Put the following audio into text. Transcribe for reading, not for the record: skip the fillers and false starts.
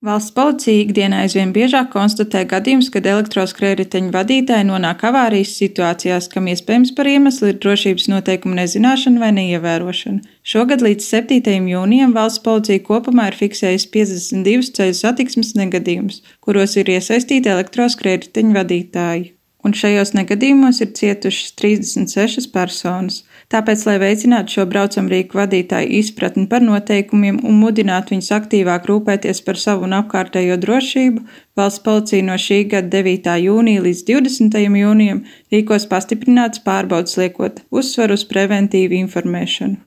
Valsts policija ikdienā aizvien biežāk konstatē gadījumus, kad elektroskrējriteņu vadītāji nonāk avārijas situācijās, kam iespējams par iemeslu ir drošības noteikumu nezināšana vai neievērošana. Šogad līdz 7. jūnijam valsts policija kopumā ir fiksējusi 52 ceļu satiksmes negadījumus, kuros ir iesaistīti elektroskrējriteņu vadītāji. Un šajos negadījumos ir cietušas 36 personas. Tāpēc, lai veicinātu šo braucamrīku vadītāju izpratni par noteikumiem un mudinātu viņus aktīvāk rūpēties par savu un apkārtējo drošību, valsts policija no šī gada 9. jūnija līdz 20. jūnijam rīkos pastiprinātas pārbaudes, liekot uzsvaru uz preventīvu informēšanu.